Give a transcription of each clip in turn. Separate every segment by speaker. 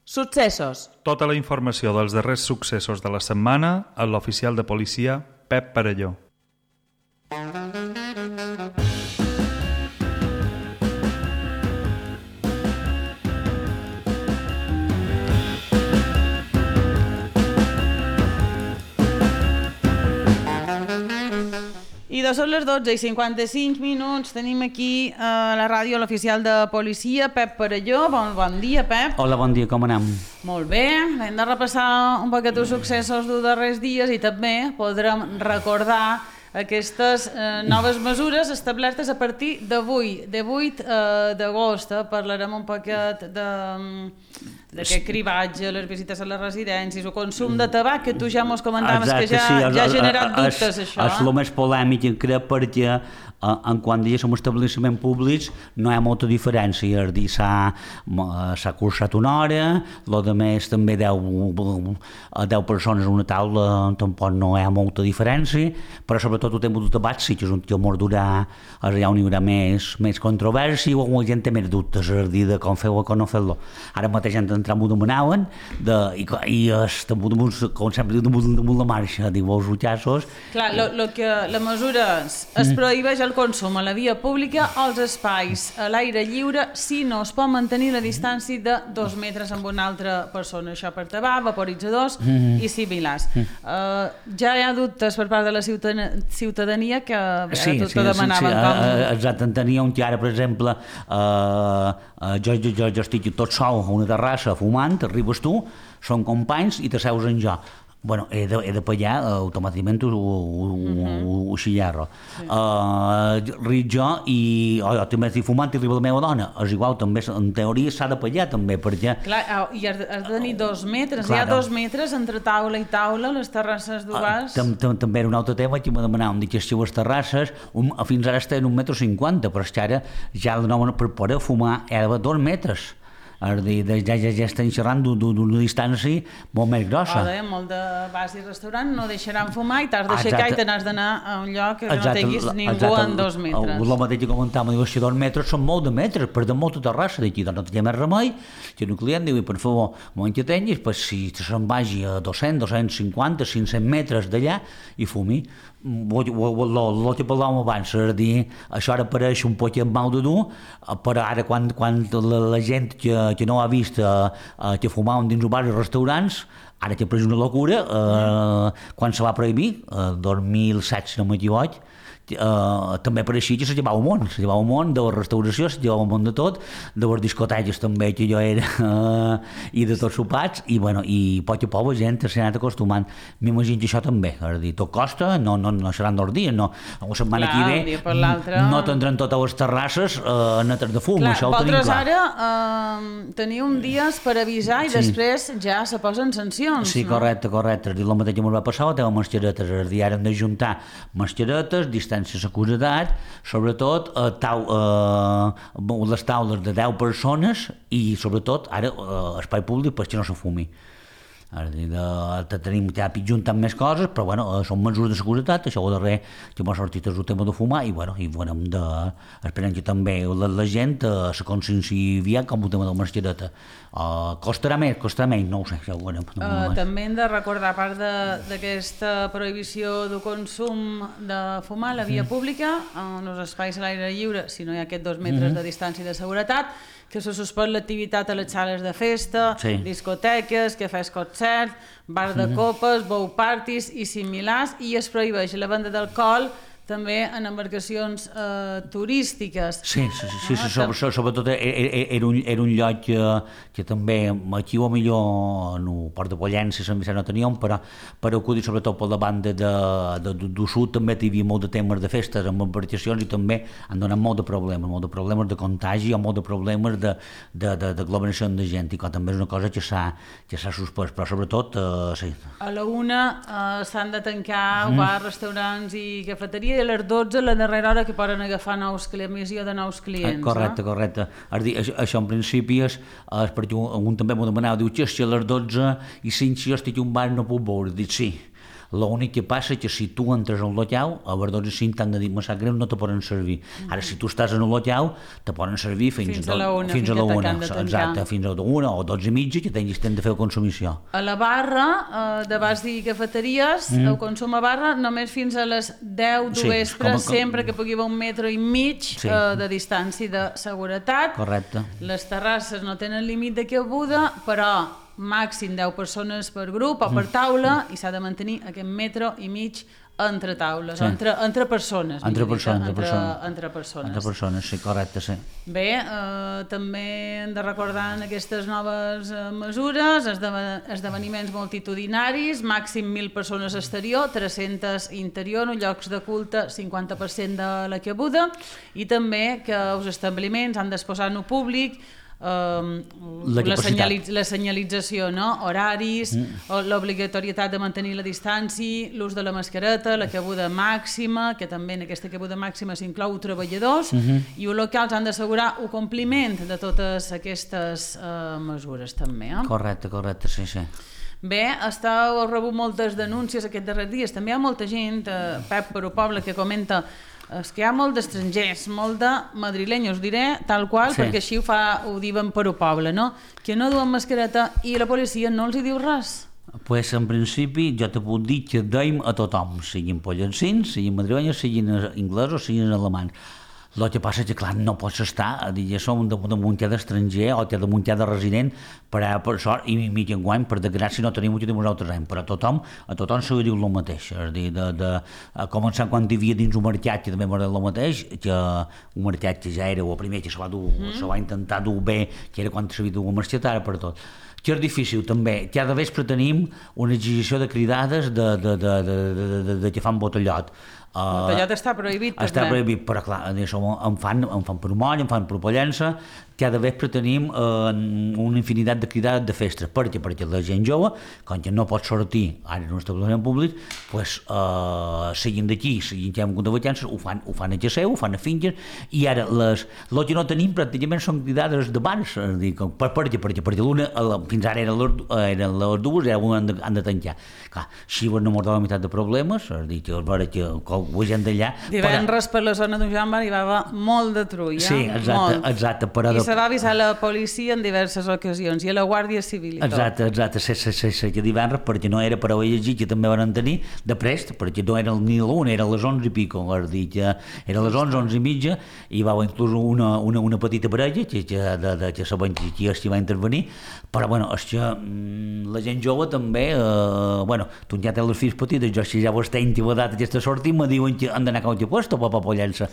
Speaker 1: Successos.
Speaker 2: Tota la informació dels darrers successos de la setmana a l'oficial de policia Pep Parelló.
Speaker 1: I són les 12:55. Tenim aquí a la ràdio l'oficial de policia, Pep Parelló. Bon dia, Pep.
Speaker 3: Hola, bon dia, com anem?
Speaker 1: Molt bé, hem de repassar un poquet els successos dels darrers dies i també podrem recordar aquestes noves mesures establertes a partir d'avui, de 8 d'agost. Parlarem un poquet d'aquest cribatge, les visites a les residències, el consum de tabac, que tu ja mos comentaves. Exacte, que ja ha generat dubtes, això.
Speaker 3: És el més polèmic, crec, perquè quan som establiments públics no hi ha molta diferència, és a dir, s'ha cursat una hora, el de més també 10 persones a una taula, tampoc no hi ha molta diferència, però sobretot el tema del tabac sí que és un que mordurà, allà on hi haurà més controvèrsia o la gent té més dubtes, és a dir, de com fer-ho o com no fer-lo. Ara mateix han d'entrar m'ho demanaven i com sempre diu, damunt la marxa, diu, els utxassos.
Speaker 1: Clar, la mesura es prohibeix el consum a la via pública o als espais a l'aire lliure si no es pot mantenir la distància de 2 metres amb una altra persona. Això per tabac, vaporitzadors i similars. Ja hi ha dubtes per part de la ciutadania que tot demanaven com...
Speaker 3: Exacte, en tenia un que ara, per exemple, jo estic tot sol a una terrassa fumant, arribes tu, són companys i t'asseus en jo. Bueno, he de pagar, automàticament ho xillarro. Ric jo i també estic fumant i arriba la meva dona. És igual, també, en teoria s'ha de pagar també, perquè...
Speaker 1: Clar, i has de tenir 2 metres, hi ha 2 metres entre taula i taula, les terrasses d'Ugàs.
Speaker 3: També era un altre tema que me demanàvem, que les seues terrasses fins ara estaven 1,50 m, però és que ara ja per poder fumar hi ha d'haver 2 metres. Ja estem xerrant d'una distància molt més grossa.
Speaker 1: Molt de bars i restaurants no deixaran fumar i t'has d'aixecar i te n'has d'anar a un lloc que no tinguis ningú en 2 metres.
Speaker 3: El mateix que comentàvem, diu, si 2 metres són molt de metres, per de molta terrassa d'aquí, doncs no té més remei, que un client diu, per favor, moment que tinguis, si se'n vagi a 200, 250, 500 metres d'allà i fumi. El que parlàvem abans, és a dir, això ara pareix un poc mal de dur, però ara quan la gent que no ha vist que fumaven dins els bars i restaurants, ara que ha pres una locura, quan se va prohibir, 2007, si no m'equivoc, també pareixia que se llevava un món de la restauració, se llevava un món de tot, de les discoteques també que jo era i de tots sopats, i a poc a poc la gent s'ha anat acostumant. M'imagino que això també, és a dir, tot costa, no seran 2 dies, no, la setmana que ve no tindran totes les terrasses netes de fum, això ho tenim clar.
Speaker 1: Ara teniu dies per avisar i després ja se posen sancions.
Speaker 3: Sí, correcte, és a dir, el mateix que ens va passar, el tema mascaretes, és a dir, ara hem d'ajuntar mascaretes, distància seguretat, sobretot les taules de 10 persones i sobretot ara espai públic perquè no se fumi. Tenim ja juntant més coses, però són mesures de seguretat, això ho darrer que m'ha sortit és el tema de fumar i esperem que també la gent se conscienciï aviat com el tema de la mascareta. Costarà més, no ho sé.
Speaker 1: També hem de recordar, a part d'aquesta prohibició de consum de fumar a la via pública, en els espais a l'aire lliure, si no hi ha aquests 2 metres de distància de seguretat, que se suspèn l'activitat a les sales de festa, discoteques, cafès concert, bar de copes, bow parties i similars, i es prohibeix la venda d'alcohol també en embarcacions turístiques.
Speaker 3: Sí, sobretot era un lloc que també aquí o millor en el Port de Pollença no teníem, però acudir sobretot per la banda del sud també hi havia molt de temes de festes amb embarcacions i també han donat molt de problemes de contagi o molt de problemes d'aglomeració de gent, i que també és una cosa que s'ha suspès, però sobretot sí.
Speaker 1: A la 1 s'han de tancar bars, restaurants i cafeteries, i a les 12 la darrera hora que poden agafar emissió de nous clients.
Speaker 3: Correcte. És dir, això en principi és perquè un també m'ho demanava, diu, si a les 12 i 5 si jo estic a un bar no puc veure, dic sí. L'únic que passa és que si tu entres al local, a les 12:05 t'han de dir, me sap greu, no te poden servir. Ara, si tu estàs en el local, te poden servir fins a la una, exacte, fins a la una o 12:30, que tens de fer la consumició.
Speaker 1: A la barra, de bars i cafeteries, el consum a barra només fins a les 10 del vespre, sempre que pugui haver 1,5 metres de distància de seguretat.
Speaker 3: Correcte.
Speaker 1: Les terrasses no tenen límit de cabuda, però màxim 10 persones per grup o per taula, i s'ha de mantenir aquest 1,5 metres entre taules, entre persones.
Speaker 3: Entre persones, sí, correcte, sí.
Speaker 1: Bé, també hem de recordar en aquestes noves mesures esdeveniments multitudinaris, màxim 1.000 persones exterior, 300 interior, en llocs de culte 50% de la cabuda, i també que els establiments han d'exposar en públic la senyalització, horaris, l'obligatorietat de mantenir la distància, l'ús de la mascareta, la cabuda màxima, que també en aquesta cabuda màxima s'inclou treballadors, i els locals han d'assegurar el compliment de totes aquestes mesures també.
Speaker 3: Correcte, sí.
Speaker 1: Bé, heu rebut moltes denúncies aquests darrers dies. També hi ha molta gent, Pep per el poble, que comenta que hi ha molt d'estrangers, molt de madrilenyos, diré tal qual, perquè així ho diuen per el poble, que no duen mascareta i la policia no els hi diu res.
Speaker 3: Pues en principi jo te puc dir que deim a tothom, siguin pollancins, siguin madrilenyos, siguin inglesos, siguin alemans. El que passa és que, clar, no pots estar, ja som de muntar d'estranger o de muntar de resident, per sort, i mig enguany, per desgràcia, no tenim el que nosaltres hem, però a tothom se li diu el mateix. És a dir, començant quan hi havia dins un mercat, que també m'agrada el mateix, que un mercat que ja era el primer que se va intentar dur bé, que era quan s'havia dur a marxar, ara per tot. Que és difícil també, cada vespre tenim una exigència de cridades de que fan botellot.
Speaker 1: El botellot està prohibit, també.
Speaker 3: Està prohibit, però clar, em fan per moll, em fan per pollença. Cada vespre tenim una infinitat de cridades de festes, perquè la gent jove, quan no pot sortir ara en un establiment públic, siguin d'aquí, siguin que hem hagut de vacances, ho fan a Geseu, ho fan a finques, i ara el que no tenim pràcticament són cridades de bars, perquè l'una, fins ara eren les dues, i ara han de tancar. Clar, si no mos dona la meitat de problemes, és a dir, que la gent d'allà...
Speaker 1: Divendres per la zona d'un Joan hi va haver molt de trull,
Speaker 3: sí, exacte, però...
Speaker 1: I se va avisar la policia en diverses ocasions, i a la Guàrdia Civil i tot.
Speaker 3: Exacte, sí, que divendres, perquè no era per haver llegit, que també van tenir de prest, perquè no era ni l'1, era les 11 i pico, és dir, que era les 11 i mitja, i va haver inclús una petita parella, que sabem qui va intervenir, però, bueno, és que la gent jove també, tu ja tens les fills petites, jo si ja vos tenc i l'edat aquesta sortir, me diuen que han d'anar a qualque puesto, papà pollença.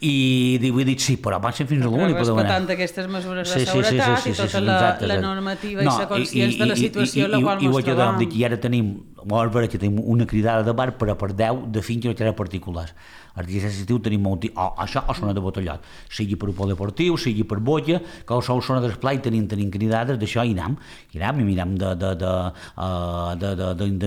Speaker 3: I he dit sí, però van ser fins a l'únic.
Speaker 1: Respectant aquestes mesures de seguretat i tota la normativa i ser conscients de la situació en la qual ens trobam.
Speaker 3: I ara tenim una cridada de bar, però per 10 de finques o particulars. El dia sensitiu tenim molt... Això o zona de botellot, sigui per polideportiu, sigui per bolla, que o zona d'esplai tenim cridades, d'això i anem i mirem de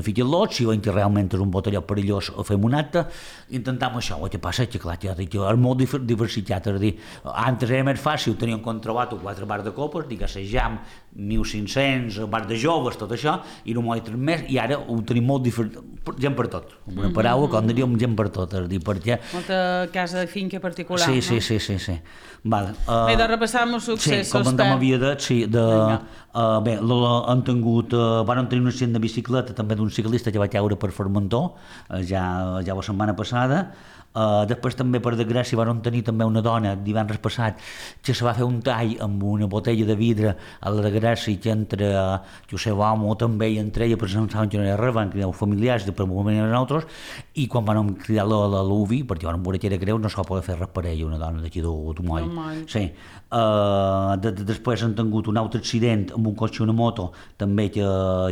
Speaker 3: ficar-los, si veiem que realment és un botellot perillós o fem un acte, intentem això. El que passa és que, clar, és molt diversificat, és a dir, antes era més fàcil, teníem controlat 4 bars de copes, digues, jam, 1.500, bars de joves, tot això, i no m'ho he tret més, i ara ho tenim molt diferent, gent per tot, una paraula, com diríem, gent per tot, és a dir, perquè...
Speaker 1: Molta casa de finca particular,
Speaker 3: sí,
Speaker 1: no?
Speaker 3: Sí. Vale.
Speaker 1: Bé, de repassar els successos.
Speaker 3: Sí, comentem a via de... Bé, van tenir un accident de bicicleta també d'un ciclista que va caure per Formentor, ja la setmana passada. Després també, per desgràcia, van tenir també una dona divendres passat que se va fer un tall amb una botella de vidre a la desgràcia que entre l'home també i entre ella pensaven que no era res, van cridar els familiars, per un moment eren altres, i quan van cridar l'UVI, perquè van veure que era greu, no se va poder fer res per ella, una dona d'aquí d'Umoll. Sí. Després han tingut un altre accident amb un cotxe i una moto també que va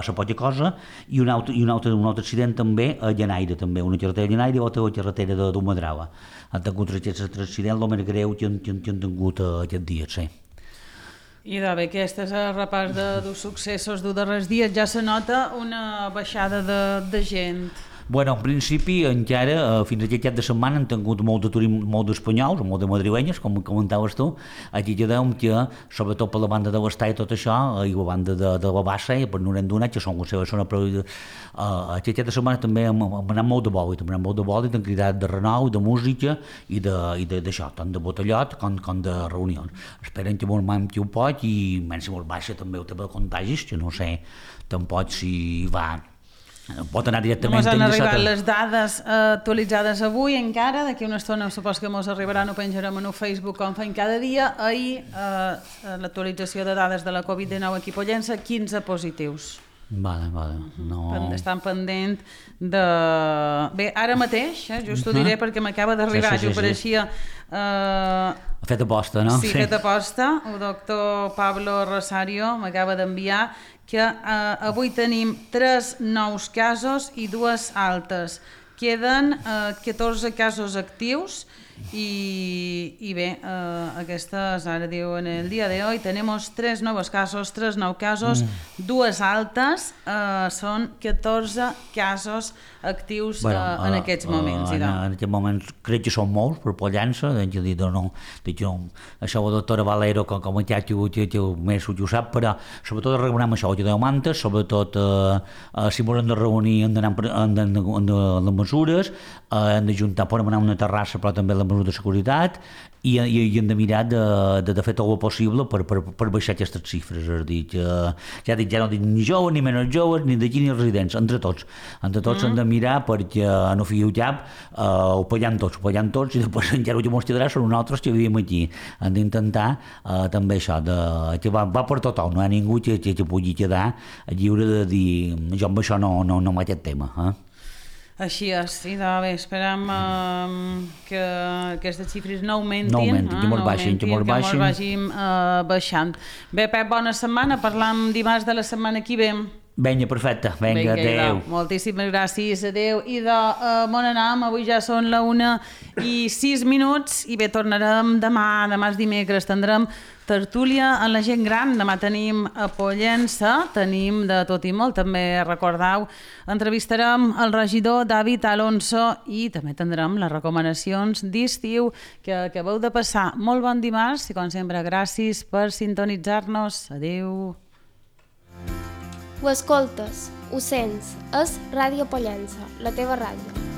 Speaker 3: ser poca cosa, i un altre accident també a Llanaire, també, una carretera de Llanaire i l'altra carretera de Madrava. Han tingut aquests accidents, el més greu que han tingut aquests dies, sí.
Speaker 1: I bé, aquest és el repàs dels successos dels darrers dies. Ja se nota una baixada de gent.
Speaker 3: Bueno, en principi, encara, fins aquest cap de setmana han tingut molt d'espanyols, molt de madrilenyes, com comentaves tu. Aquí ja veiem que, sobretot per la banda de l'Està i tot això, i la banda de la Bassa, per no n'hem donat, que són les seves zones, però aquest cap de setmana també hem anat molt de bòlit, hem cridat de renou, de música i d'això, tant de botellot com de reunions. Esperen que molt mai ho pot i menys molt baixa també el tema de contagis, que no sé tampoc si va... Pot anar directament...
Speaker 1: Només han arribat les dades actualitzades avui encara, d'aquí una estona supos que ens arribaran, ho penjarem en el Facebook com fem cada dia. Ahir l'actualització de dades de la Covid-19 aquí a Pollença, 15 positius.
Speaker 3: Vale. No...
Speaker 1: Estan pendent de... Bé, ara mateix, just ho diré perquè m'acaba d'arribar, jo pareixia...
Speaker 3: Fet aposta, no?
Speaker 1: Sí, fet aposta. El doctor Pablo Rosario m'acaba d'enviar que avui tenim 3 nous casos i 2 altes. Queden 14 casos actius y aquestes, ara diu, en el dia de hoy tenemos 3 nuevos casos, 3 nous casos, 2 altes, són 14 casos actius en aquests moments.
Speaker 3: En aquests moments crec que són molts per Pollença, això la doctora Valero com a que més ho sap, però sobretot reunam això, que deu mantes, sobretot si volem de reunir hem d'anar amb les mesures, hem d'ajuntar, podem anar a una terrassa però també la mesura de seguretat i hem de mirar de fer tot el possible per baixar aquestes xifres, és a dir, ja no dic ni joves, ni menys joves, ni d'aquí ni residents, entre tots hem de mirar perquè no fiu cap, ho pagant tots i després encara ho que mos quedarà són nosaltres que vivim aquí. Hem d'intentar també això, que va per tothom, no hi ha ningú que pugui quedar lliure de dir jo amb això no amb aquest tema.
Speaker 1: Així és, i bé, esperem que aquestes xifres no augmentin,
Speaker 3: que mos
Speaker 1: vagin baixant. Bé, Pep, bona setmana, parlam dimarts de la setmana que ve.
Speaker 3: Vinga, perfecte, vinga, adeu.
Speaker 1: Moltíssimes gràcies, adeu. I de Món Anam, avui ja són la 1:06 i bé, tornarem demà és dimecres, tindrem tertúlia en la gent gran. Demà tenim a Pollença, tenim de tot i molt, també recordeu, entrevistarem el regidor David Alonso i també tindrem les recomanacions d'estiu que acabeu de passar. Molt bon dimarts i, com sempre, gràcies per sintonitzar-nos. Adeu.
Speaker 4: Ho escoltes, ho sents, és Ràdio Pollença, la teva ràdio.